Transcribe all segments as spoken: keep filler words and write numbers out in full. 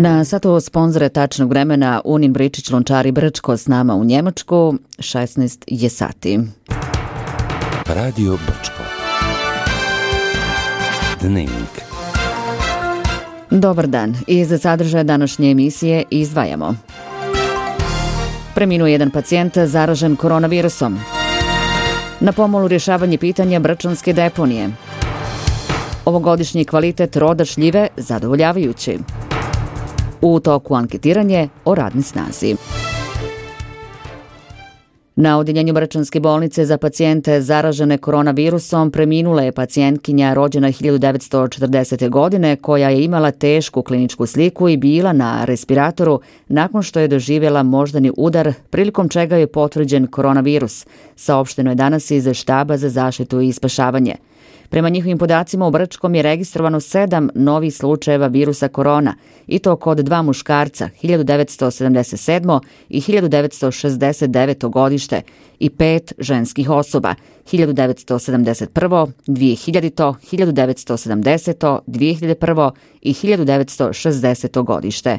Na satu sponzore tačnog vremena Unin Bričić Lončari Brčko s nama u Njemačku, šesnaest je sati. Radio Brčko. Dnevnik. Dobar dan. Iz sadržaja današnje emisije izdvajamo. Preminuo jedan pacijent zaražen koronavirusom. Na pomolu rješavanje pitanja brčanske deponije. Ovogodišnji kvalitet roda šljive zadovoljavajući. U toku anketiranje o radnoj snazi. Na odjeljenju Brčanske bolnice za pacijente zaražene koronavirusom preminula je pacijentkinja rođena hiljadu devetsto četrdesete. godine koja je imala tešku kliničku sliku i bila na respiratoru nakon što je doživjela moždani udar prilikom čega je potvrđen koronavirus, saopšteno je danas iz štaba za zaštitu i spašavanje. Prema njihovim podacima u Brčkom je registrovano sedam novih slučajeva virusa korona i to kod dva muškarca hiljadu devetsto sedamdeset sedme. i hiljadu devetsto šezdeset devete. godište i pet ženskih osoba hiljadu devetsto sedamdeset prve. dvije hiljadite. hiljadu devetsto sedamdesete. dvije hiljade prve. i hiljadu devetsto šezdesete. godište.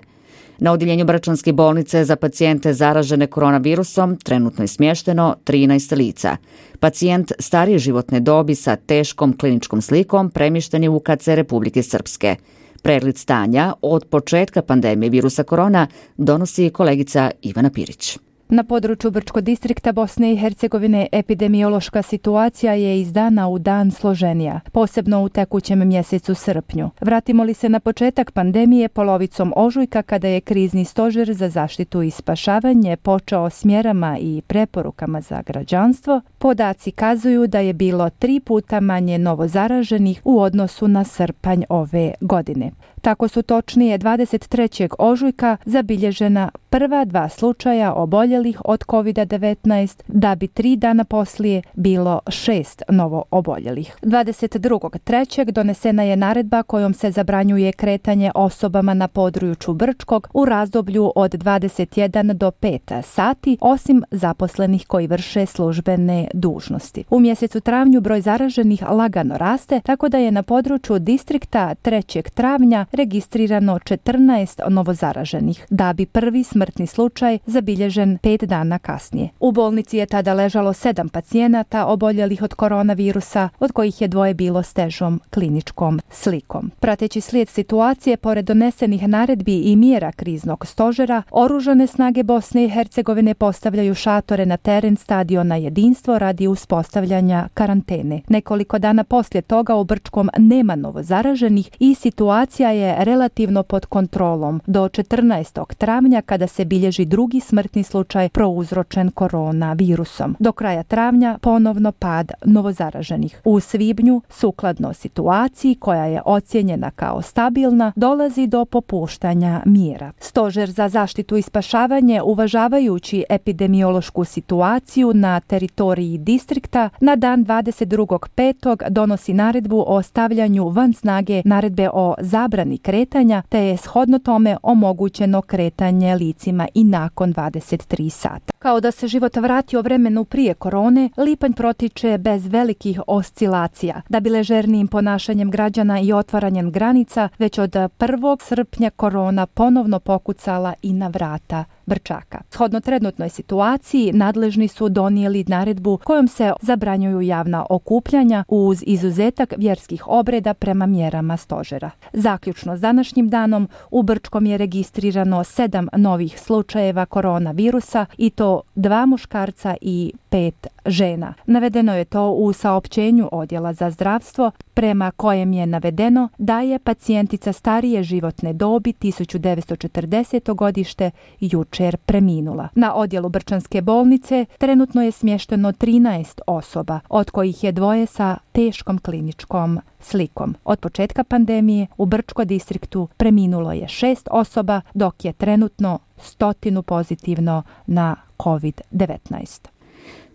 Na odjeljenju Brčanske bolnice za pacijente zaražene koronavirusom trenutno je smješteno trinaest lica. Pacijent starije životne dobi sa teškom kliničkom slikom premješten je u K C Republike Srpske. Pregled stanja od početka pandemije virusa korona donosi kolegica Ivana Pirić. Na području Brčkog distrikta Bosne i Hercegovine epidemiološka situacija je iz dana u dan složenija, posebno u tekućem mjesecu srpnju. Vratimo li se na početak pandemije polovicom ožujka kada je krizni stožer za zaštitu i spašavanje počeo s mjerama i preporukama za građanstvo, podaci kazuju da je bilo tri puta manje novozaraženih u odnosu na srpanj ove godine. Tako su točnije dvadeset trećeg ožujka zabilježena prva dva slučaja oboljelih od kovid devetnaest, da bi tri dana poslije bilo šest novo oboljelih. dvadeset drugog trećeg donesena je naredba kojom se zabranjuje kretanje osobama na području Brčkog u razdoblju od dvadeset jedan do pet sati, osim zaposlenih koji vrše službene dužnosti. U mjesecu travnju broj zaraženih lagano raste, tako da je na području distrikta trećeg travnja registrirano četrnaest novozaraženih, da bi prvi smrtni slučaj zabilježen pet dana kasnije. U bolnici je tada ležalo sedam pacijenata oboljelih od koronavirusa, od kojih je dvoje bilo s težom kliničkom slikom. Prateći slijed situacije, pored donesenih naredbi i mjera kriznog stožera, oružane snage Bosne i Hercegovine postavljaju šatore na teren stadiona Jedinstvo radi uspostavljanja karantene. Nekoliko dana poslije toga u Brčkom nema novozaraženih i situacija je relativno pod kontrolom do četrnaestog travnja kada se bilježi drugi smrtni slučaj prouzročen koronavirusom. Do kraja travnja ponovno pad novozaraženih. U svibnju, sukladno situaciji koja je ocijenjena kao stabilna, dolazi do popuštanja mjera. Stožer za zaštitu i spašavanje, uvažavajući epidemiološku situaciju na teritoriji distrikta, na dan dvadeset drugog petog donosi naredbu o stavljanju van snage naredbe o zabrani kretanja, te je shodno tome omogućeno kretanje licima i nakon dvadeset tri sata. Kao da se život vratio vremenu prije korone, lipanj protiče bez velikih oscilacija. Da bi ležernijim ponašanjem građana i otvaranjem granica, već od prvog srpnja korona ponovno pokucala i na vrata Brčaka. Shodno trenutnoj situaciji, nadležni su donijeli naredbu kojom se zabranjuju javna okupljanja uz izuzetak vjerskih obreda prema mjerama stožera. Zaključno s današnjim danom, u Brčkom je registrirano sedam novih slučajeva koronavirusa i to dva muškarca i pet žena. Navedeno je to u saopćenju Odjela za zdravstvo, prema kojem je navedeno da je pacijentica starije životne dobi tisuću devetsto četrdesete. godište jučer preminula. Na odjelu Brčanske bolnice trenutno je smješteno trinaest osoba, od kojih je dvoje sa teškom kliničkom slikom. Od početka pandemije u Brčkom distriktu preminulo je šest osoba, dok je trenutno stotinu pozitivno na kovid devetnaest.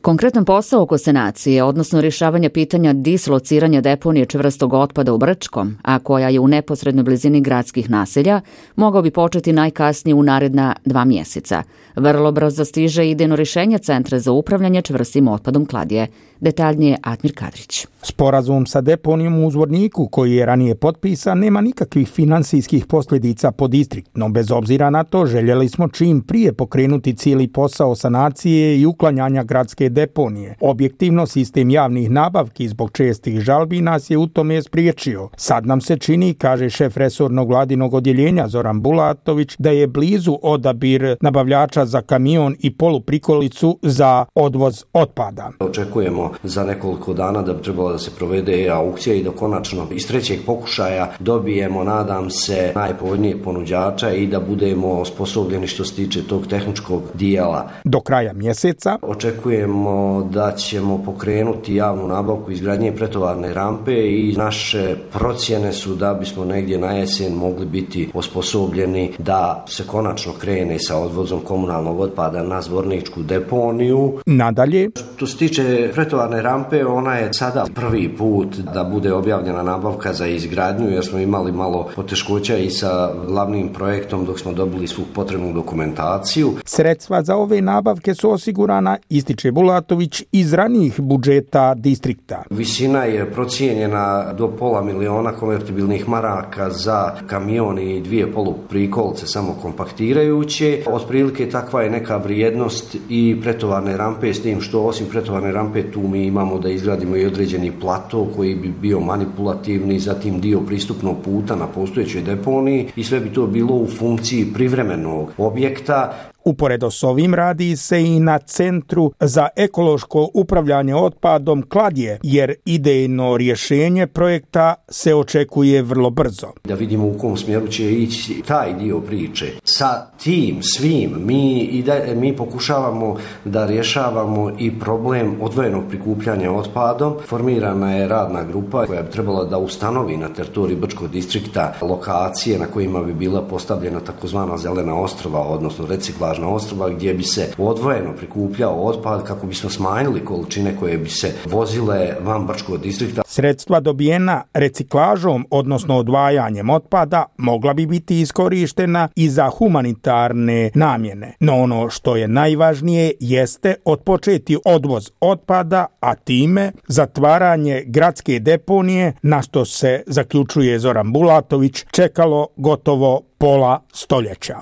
Konkretan posao oko sanacije, odnosno rješavanja pitanja dislociranja deponije čvrstog otpada u Brčkom, a koja je u neposrednoj blizini gradskih naselja, mogao bi početi najkasnije u naredna dva mjeseca. Vrlo brzo stiže idejno rješenje Centra za upravljanje čvrstim otpadom Kladje. Detaljnije Admir Kadrić. Sporazum sa deponijom u Zvorniku, koji je ranije potpisan, nema nikakvih finansijskih posljedica po distrikt, no bez obzira na to željeli smo čim prije pokrenuti cijeli posao sanacije i uklanjanja gradske deponije. Objektivno, sistem javnih nabavki zbog čestih žalbi nas je u tome spriječio. Sad nam se čini, kaže šef resornog vladinog odjeljenja Zoran Bulatović, da je blizu odabir nabavljača za kamion i poluprikolicu za odvoz otpada. Očekujemo za nekoliko dana da bi trebalo da se provede aukcija i da konačno iz trećeg pokušaja dobijemo, nadam se, najpovoljnijeg ponuđača i da budemo osposobljeni što se tiče tog tehničkog dijela. Do kraja mjeseca očekujemo da ćemo pokrenuti javnu nabavku izgradnje pretovarne rampe i naše procjene su da bismo negdje na jesen mogli biti osposobljeni da se konačno krene sa odvozom komunalnog otpada na Zvorničku deponiju. Nadalje, što se tiče pretovarne rampe, ona je sada prvi put da bude objavljena nabavka za izgradnju, jer smo imali malo poteškoća i sa glavnim projektom dok smo dobili svu potrebnu dokumentaciju. Sredstva za ove nabavke su osigurana, ističe Bulatović, iz ranijih budžeta distrikta. Visina je procijenjena do pola miliona konvertibilnih maraka za kamion i dvije poluprikolce samo kompaktirajuće. Otprilike takva je neka vrijednost i pretovarne rampe, s tim što osim pretovarne rampe tu mi imamo da izgradimo i određeni plato koji bi bio manipulativni, zatim dio pristupnog puta na postojećoj deponiji i sve bi to bilo u funkciji privremenog objekta. Uporedo s ovim radi se i na Centru za ekološko upravljanje otpadom Kladje, jer idejno rješenje projekta se očekuje vrlo brzo. Da vidimo u kom smjeru će ići taj dio priče. Sa tim svim mi, i da, mi pokušavamo da rješavamo i problem odvojenog prikupljanja otpadom. Formirana je radna grupa koja bi trebala da ustanovi na teritoriji Brčkog distrikta lokacije na kojima bi bila postavljena takozvana zelena ostrva, odnosno reciklažna ostrva, gdje bi se odvojeno prikupljao otpad kako bismo smanjili količine koje bi se vozile van Brčkog distrikta. Sredstva dobijena reciklažom, odnosno odvajanjem otpada, mogla bi biti iskorištena i za humanitarne namjene. No ono što je najvažnije jeste otpočeti odvoz otpada, a time zatvaranje gradske deponije, na što se, zaključuje Zoran Bulatović, čekalo gotovo pola stoljeća.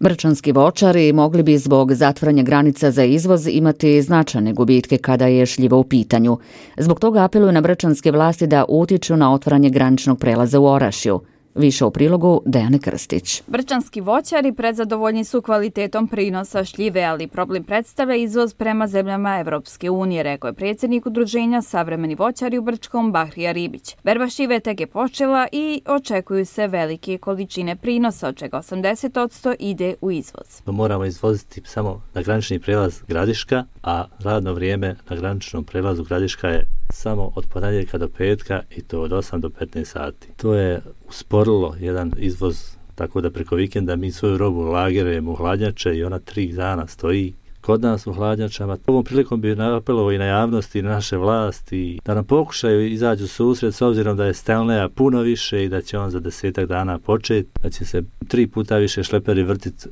Brčanski voćari mogli bi zbog zatvaranja granica za izvoz imati značajne gubitke kada je šljivo u pitanju. Zbog toga apeluju na brčanske vlasti da utiču na otvaranje graničnog prelaza u Orašju. Više u prilogu Dejane Krstić. Brčanski voćari prezadovoljni su kvalitetom prinosa šljive, ali problem predstavlja izvoz prema zemljama Evropske unije, rekao je predsjednik udruženja Savremeni voćari u Brčkom Bahrija Ribić. Berba šljive tek je počela i očekuju se velike količine prinosa, od čega osamdeset posto ide u izvoz. Moramo izvoziti samo na granični prelaz Gradiška, a radno vrijeme na graničnom prelazu Gradiška je samo od ponedjeljka do petka i to od osam do petnaest sati. To je usporilo jedan izvoz, tako da preko vikenda mi svoju robu lagerujemo u hladnjače i ona tri dana stoji kod nas u hladnjačama. Ovom prilikom bi apelovao i na javnosti i na naše vlasti da nam pokušaju izađu susret, s obzirom da je Stelneja puno više i da će on za desetak dana početi, da će se tri puta više šleperi vrtiti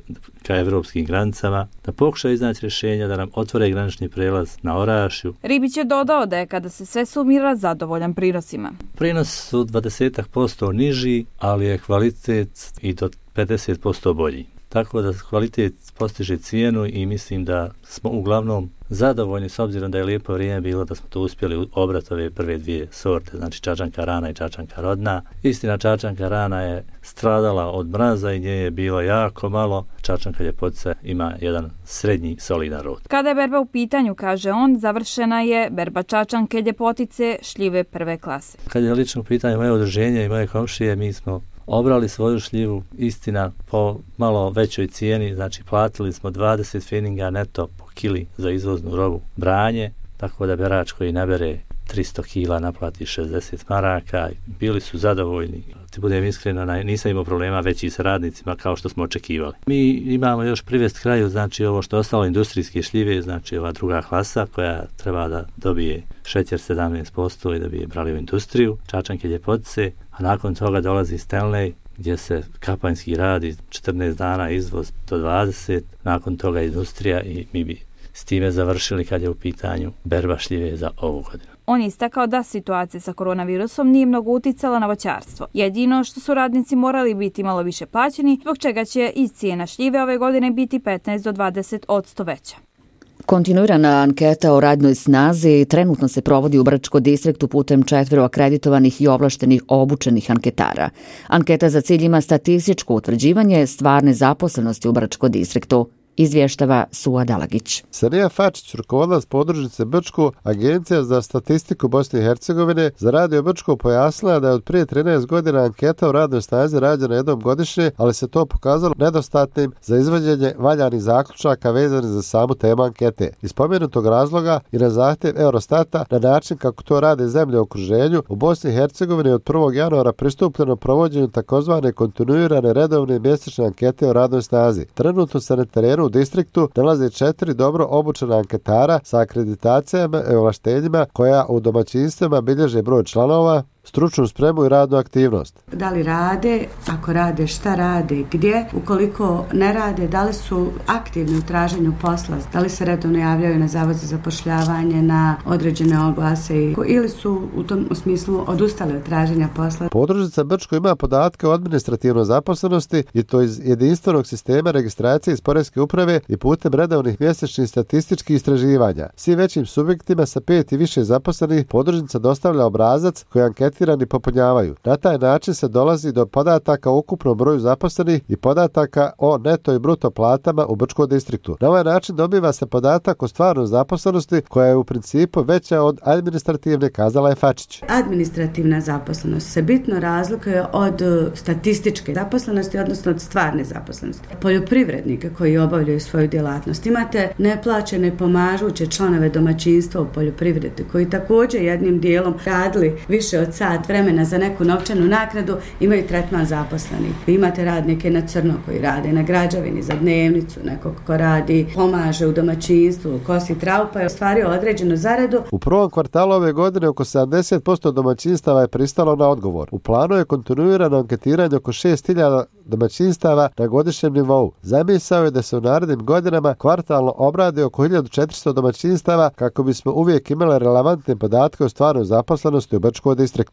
ka evropskim granicama, da pokušaju iznaći rješenja da nam otvore granični prelaz na Orašju. Ribić je dodao da je kada se sve sumira zadovoljan prinosima. Prinos su dvadeset posto niži, ali je kvalitet i do pedeset posto bolji. Tako da kvalitet postiže cijenu i mislim da smo uglavnom zadovoljni, s obzirom da je lijepo vrijeme bilo da smo to uspjeli obrati ove prve dvije sorte, znači čačanka rana i čačanka rodna. Istina, čačanka rana je stradala od mraza i nje je bilo jako malo. Čačanka ljepotica ima jedan srednji solidan rod. Kada je berba u pitanju, kaže on, završena je berba čačanke ljepotice šljive prve klase. Kad je lično u pitanju moje udruženje i moje komšije, mi smo obrali svoju šljivu, istina, po malo većoj cijeni, znači platili smo dvadeset feninga neto po kili za izvoznu robu branje, tako da berač koji nabere tristo kila naplati šezdeset maraka, bili su zadovoljni. Ti budem iskreno, nisam imao problema veći sa radnicima kao što smo očekivali. Mi imamo još privest kraju, znači ovo što je ostalo industrijske šljive, znači ova druga klasa koja treba da dobije šećer sedamnaest posto i da bi je brali u industriju, čačanke, ljepotice, a nakon toga dolazi Stanley gdje se kapanjski radi četrnaest dana, izvoz do dvadeset, nakon toga industrija i mi bi s time završili kad je u pitanju berba šljive za ovu godinu. On je istakao da situacija sa koronavirusom nije mnogo uticala na voćarstvo. Jedino što su radnici morali biti malo više plaćeni, zbog čega će i cijena šljive ove godine biti petnaest do dvadeset posto veća. Kontinuirana anketa o radnoj snazi trenutno se provodi u Brčko distriktu putem četvero akreditovanih i ovlaštenih obučenih anketara. Anketa za cilj ima statističko utvrđivanje stvarne zaposlenosti u Brčko distriktu. Izvještava Suad Dalagić. Sanija Fačić, rukovodilac podružnice Brčko, Agencija za statistiku Bosne i Hercegovine, za Radio Brčko pojasnila da je od prije trinaest godina anketa o radnoj snazi rađena jednom godišnje, ali se to pokazalo nedostatnim za izvođenje valjanih zaključaka vezanih za samu temu ankete. Iz spomenutog razloga i na zahtjev Eurostata, na način kako to rade zemlje u okruženju, u Bosni i Hercegovini od prvog januara pristupljeno provođenju takozvane kontinuirane redovne mjesečne ankete o radnoj snazi. Trenutno se na terenu u distriktu nalaze četiri dobro obučena anketara sa akreditacijama i ovlaštenjima koja u domaćinstvima bilježe broj članova, stručnu spremu i radnu aktivnost. Da li rade, ako rade, šta rade, gdje, ukoliko ne rade, da li su aktivni u traženju posla, da li se redovno javljaju na zavod za zapošljavanje, na određene oglase ili su u tom smislu odustali od traženja posla. Podružnica Brčko ima podatke o administrativnoj zaposlenosti i to iz jedinstvenog sistema registracije iz Poreske uprave i putem redovnih mjesečnih statističkih istraživanja. Svim većim subjektima sa pet i više zaposlenih podružnica dostavlja obrazac koji anketira popunjavaju. Na taj način se dolazi do podataka o ukupnom broju zaposlenih i podataka o neto i bruto platama u Brčkom distriktu. Na ovaj način dobiva se podatak o stvarnoj zaposlenosti koja je u principu veća od administrativne, kazala je Fačić. Administrativna zaposlenost se bitno razlikuje od statističke zaposlenosti, odnosno od stvarne zaposlenosti. Poljoprivrednike koji obavljaju svoju djelatnost. Imate neplaćene pomažuće članove domaćinstva u poljoprivredi koji također jednim dijelom radili više od sat vremena za neku novčanu naknadu, imaju tretman zaposlenih. Vi imate radnike na crno koji rade na građevini za dnevnicu, nekog ko radi, pomaže u domaćinstvu, kosi traupa i ostvario određenu zaradu. U prvom kvartalu ove godine oko sedamdeset posto domaćinstava je pristalo na odgovor. U planu je kontinuirano anketiranje oko šest hiljada domaćinstava na godišnjem nivou. Zamisao je da se u narednim godinama kvartalno obradi oko hiljadu četiristo domaćinstava kako bismo uvijek imali relevantne podatke o stvarnoj zaposlenosti u Brčkom distriktu.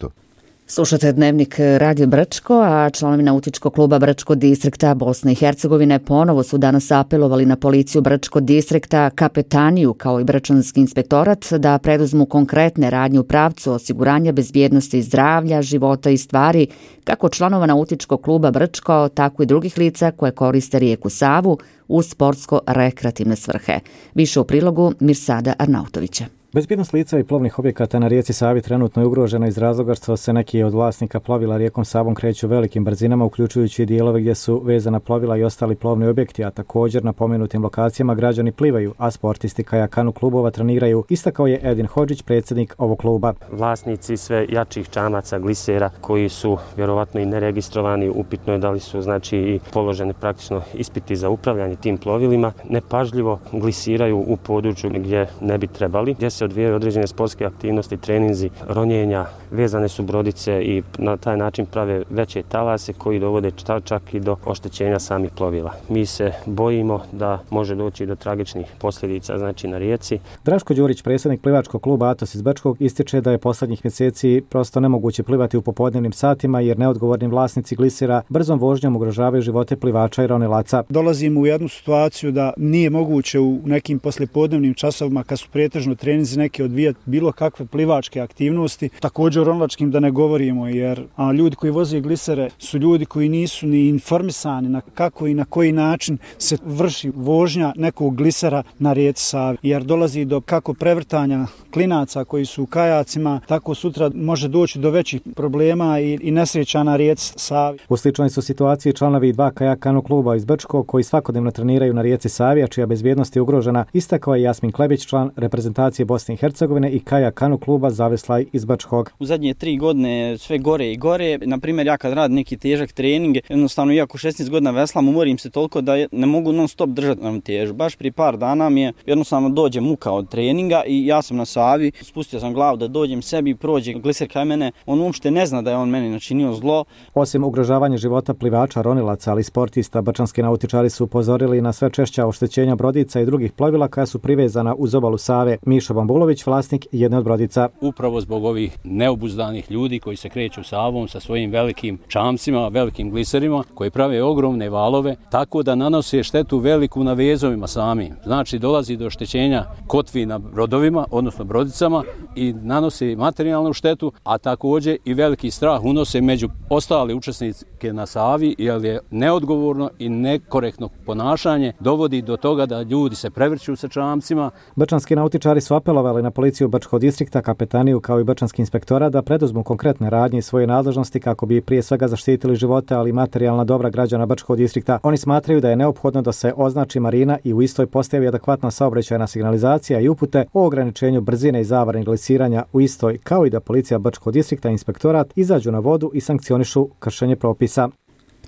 Slušate Dnevnik Radio Brčko, a članovi nautičkog kluba Brčko distrikta Bosne i Hercegovine ponovo su danas apelovali na policiju Brčko distrikta, kapetaniju kao i Brčanski inspektorat da preduzmu konkretne radnje u pravcu osiguranja bezbjednosti zdravlja, života i stvari kako članova nautičkog kluba Brčko, tako i drugih lica koje koriste rijeku Savu u sportsko-rekreativne svrhe. Više u prilogu Mirsada Arnautovića. Bezbjednost lica i plovnih objekata na rijeci Savi trenutno je ugrožena iz razloga što se neki od vlasnika plovila rijekom Savom kreću velikim brzinama, uključujući i dijelove gdje su vezana plovila i ostali plovni objekti, a također na pomenutim lokacijama građani plivaju, a sportisti kajakanu klubova treniraju, istakao je Edin Hodžić, predsjednik ovog kluba. Vlasnici sve jačih čamaca, glisera koji su vjerovatno i neregistrovani, upitno je da li su znači i položeni praktično ispiti za upravljanje tim plovilima, nepažljivo glisiraju u području gdje ne bi trebali, gdje se odvijaju određene sportske aktivnosti, treninzi, ronjenja, vezane su brodice i na taj način prave veće talase koji dovode čak i do oštećenja samih plovila. Mi se bojimo da može doći do tragičnih posljedica znači na rijeci. Draško Đurić, predsjednik plivačkog kluba Atos iz Brčkog, ističe da je posljednjih mjeseci prosto nemoguće plivati u popodnevnim satima jer neodgovorni vlasnici glisera brzom vožnjom ugrožavaju živote plivača i ronilaca. Dolazimo u jednu situaciju da nije moguće u nekim poslijepodnevnim časovima kad su pretežno treninzi neki odvijati bilo kakve plivačke aktivnosti, također o ronilačkim da ne govorimo, jer a, ljudi koji voze glisere su ljudi koji nisu ni informisani na kako i na koji način se vrši vožnja nekog glisera na rijeci Savi, jer dolazi do kako prevrtanja klinaca koji su u kajacima, tako sutra može doći do većih problema i, i nesreća na rijeci Savi. U sličnoj su situaciji članovi dva kajakanu kluba iz Brčkog koji svakodnevno treniraju na rijeci Savi, a čija bezbjednost je ugrožena, istakao je Jasmin Klebić, član reprezentacije Bosne Bosne i Hercegovine i Kaja Kanu kluba Zaveslaj iz Brčkog. U zadnje tri godine sve gore i gore. Na primjer, ja kad radim neki težak trening, jednostavno iako šesnaest godina veslam, umorim se toliko da ne mogu non stop držati na težu. Baš prije par dana mi je jednostavno dođe muka od treninga i ja sam na Savi, spustio sam glavu da dođem sebi, prođe gliser kaj mene, on uopšte ne zna da je on meni načinio zlo. Osim ugrožavanja života plivača, ronilaca, ali sportista, brčanski nautičari su upozorili na sve češća oštećenja brodica i drugih plovila koja su privezana uz obalu Save. Mišo Bambulović, vlasnik jedne od brodica. Upravo zbog ovih neobuzdanih ljudi koji se kreću Savom sa svojim velikim čamcima, velikim gliserima, koji prave ogromne valove, tako da nanose štetu veliku na vezovima sami. Znači dolazi do oštećenja kotvi na brodovima, odnosno brodicama, i nanose materijalnu štetu, a također i veliki strah unose među ostale učesnike na Savi, jer je neodgovorno i nekorektno ponašanje dovodi do toga da ljudi se prevrću sa čamcima. Brčanski nautičari su apelovali na policiju Brčkog distrikta, kapetaniju kao i Brčanski inspektora da preduzmu konkretne radnje i svoje nadležnosti kako bi prije svega zaštitili živote, ali i materijalna dobra građana Brčkog distrikta. Oni smatraju da je neophodno da se označi marina i u istoj postavi adekvatna saobraćajna signalizacija i upute o ograničenju brzine i zabrani glisiranja u istoj, kao i da policija Brčkog distrikta i inspektorat izađu na vodu i sankcionišu kršenje propisa.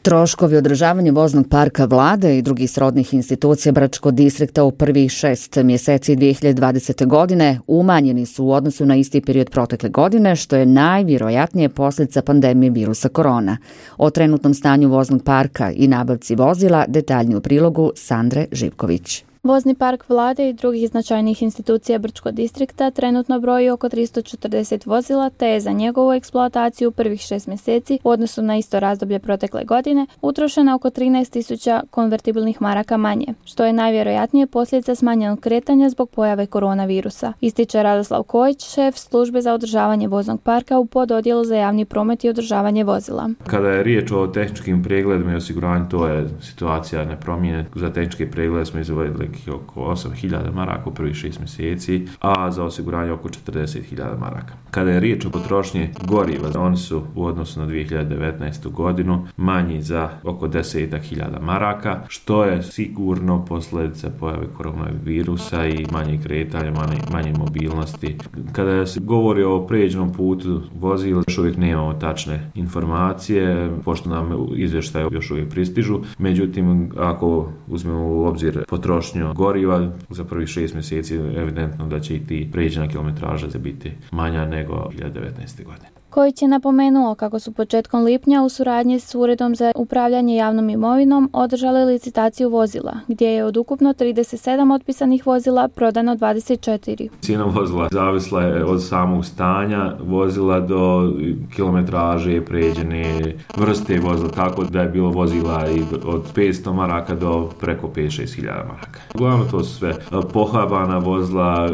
Troškovi održavanja voznog parka vlade i drugih srodnih institucija Brčkog distrikta u prvih šest mjeseci dvije hiljade dvadesete. godine umanjeni su u odnosu na isti period protekle godine, što je najvjerojatnije posljedica pandemije virusa korona. O trenutnom stanju voznog parka i nabavci vozila detaljnije u prilogu Sandre Živković. Vozni park vlade i drugih značajnih institucija Brčkog distrikta trenutno broji oko tristo četrdeset vozila, te je za njegovu eksploataciju u prvih šest mjeseci u odnosu na isto razdoblje protekle godine utrošeno oko trinaest tisuća konvertibilnih maraka manje, što je najvjerojatnije posljedica smanjenog kretanja zbog pojave koronavirusa. Ističe Radoslav Kojić, šef službe za održavanje voznog parka u pododjelu za javni promet i održavanje vozila. Kada je riječ o tehničkim pregledima i osiguranju, to je situacija nepromijenjena. Za tehničke preglede smo izdvojili oko osam hiljada maraka u prvih šest mjeseci, a za osiguranje oko četrdeset hiljada maraka. Kada je riječ o potrošnji goriva, oni su u odnosu na dvije hiljade devetnaestu. godinu manji za oko deset hiljada maraka, što je sigurno posljedica pojave koronavirusa i manje kretanja, manje, manje mobilnosti. Kada se govori o pređenom putu vozila, još uvijek nemamo tačne informacije, pošto nam izvještaje još uvijek pristižu. Međutim, ako uzmemo u obzir potrošnju goriva za prvih šest mjeseci, evidentno da će i ti pređena kilometraža biti manja nego dvije hiljade devetnaeste. godine. Kojić je napomenuo kako su početkom lipnja u suradnji s Uredom za upravljanje javnom imovinom održali licitaciju vozila, gdje je od ukupno trideset sedam otpisanih vozila prodano dvadeset četiri. Cijena vozila zavisla je od samog stanja vozila do kilometraže, pređene vrste vozila, tako da je bilo vozila i od petsto maraka do preko pet do šest hiljada maraka. Uglavnom to su sve pohabana vozila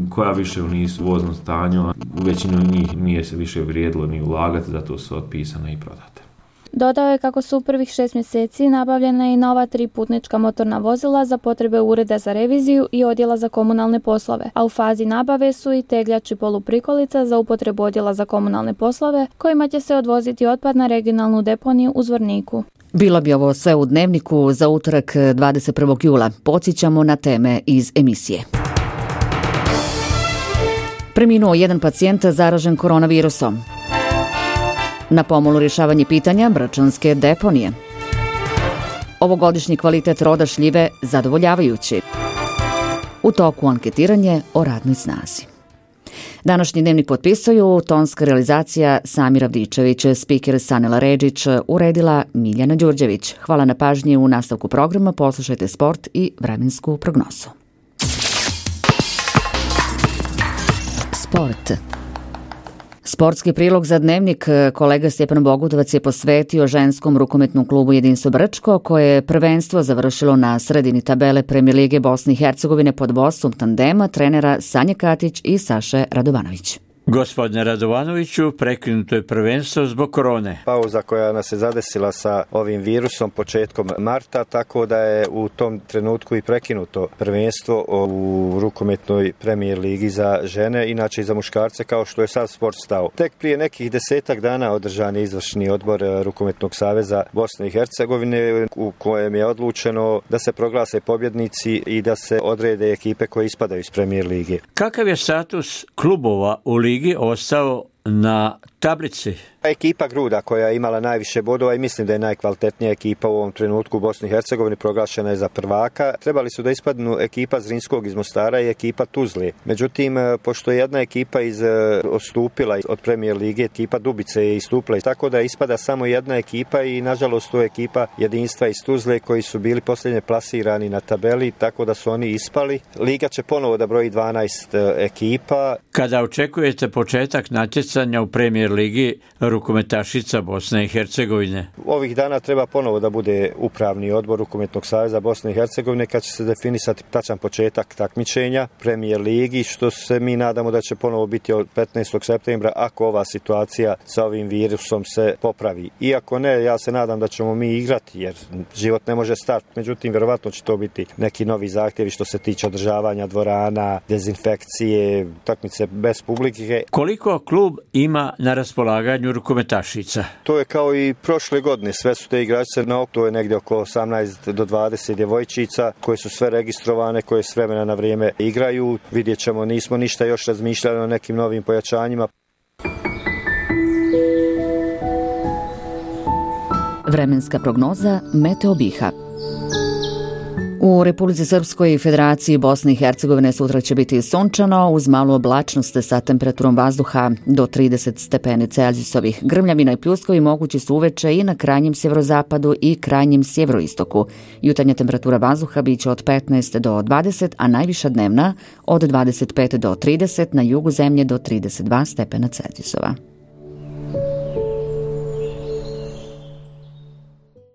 koja više nisu u voznom stanju, u većinu njih nije se više vrijedilo ni ulagati, zato su otpisane i prodate. Dodao je kako su u prvih šest mjeseci nabavljena i nova tri putnička motorna vozila za potrebe Ureda za reviziju i Odjela za komunalne poslove, a u fazi nabave su i tegljač i poluprikolica za upotrebu Odjela za komunalne poslove, kojima će se odvoziti otpad na regionalnu deponiju u Zvorniku. Bilo bi ovo sve u Dnevniku za utorak dvadeset prvog jula. Podsjećamo na teme iz emisije. Preminuo jedan pacijent zaražen koronavirusom. Na pomolu rješavanje pitanja brčanske deponije. Ovogodišnji kvalitet roda šljive zadovoljavajući. U toku anketiranje o radnoj snazi. Današnji Dnevnik potpisuju tonska realizacija Samir Avdičević, spiker Sanela Redžić, uredila Miljana Đurđević. Hvala na pažnji. U nastavku programa poslušajte sport i vremensku prognozu. Sport. Sportski prilog za Dnevnik kolega Stjepan Bogutovac je posvetio ženskom rukometnom klubu Jedinstvo Brčko, koje je prvenstvo završilo na sredini tabele Premijer lige Bosne i Hercegovine pod vodstvom tandema trenera Sanje Katić i Saše Radovanović. Gospodine Radovanoviću, prekinuto je prvenstvo zbog korone. Pauza koja nas je zadesila sa ovim virusom početkom marta, tako da je u tom trenutku i prekinuto prvenstvo u rukometnoj premijer ligi za žene, inače i za muškarce, kao što je sad sport stao. Tek prije nekih desetak dana održan je izvršni odbor Rukometnog saveza Bosne i Hercegovine u kojem je odlučeno da se proglase pobjednici i da se odrede ekipe koje ispadaju iz premijer lige. Kakav je status klubova u ligi ostao na tablici? Ekipa Gruda koja je imala najviše bodova i mislim da je najkvalitetnija ekipa u ovom trenutku u Bosni i Hercegovini, proglašena je za prvaka. Trebali su da ispadnu ekipa Zrinskog iz Mostara i ekipa Tuzle. Međutim, pošto je jedna ekipa iz, odstupila od premijer lige, ekipa Dubice je istupila, tako da ispada samo jedna ekipa i nažalost to je ekipa Jedinstva iz Tuzle koji su bili posljednje plasirani na tabeli, tako da su oni ispali. Liga će ponovo da broji dvanaest ekipa. Kada očekujete početak natjecanja u premijer ligi rukometašica Bosne i Hercegovine? Ovih dana treba ponovo da bude upravni odbor Rukometnog saveza Bosne i Hercegovine kad će se definisati tačan početak takmičenja premijer ligi, što se mi nadamo da će ponovo biti od petnaestog septembra ako ova situacija sa ovim virusom se popravi. Iako ne, ja se nadam da ćemo mi igrati jer život ne može stati. Međutim, vjerovatno će to biti neki novi zahtjevi što se tiče održavanja dvorana, dezinfekcije, takmice bez publike. Koliko klub ima na raspolaganju rukometašica? To je kao i prošle godine, sve su te igračice na oko, to je negdje oko osamnaest do dvadeset djevojčica koje su sve registrovane, koje s vremena na vrijeme igraju. Vidjet ćemo, nismo ništa još razmišljali o nekim novim pojačanjima. Vremenska prognoza Meteo Biha. U Republici Srpskoj i Federaciji Bosne i Hercegovine sutra će biti sunčano uz malu oblačnost sa temperaturom vazduha do trideset stepeni Celzijusovih. Grmljavina i pljuskovi mogući su uveče i na krajnjem sjeverozapadu i krajnjem sjeveroistoku. Jutarnja temperatura vazduha biće od petnaest do dvadeset, a najviša dnevna od dvadeset pet do trideset, na jugu zemlje do trideset dva stepena Celzijusova.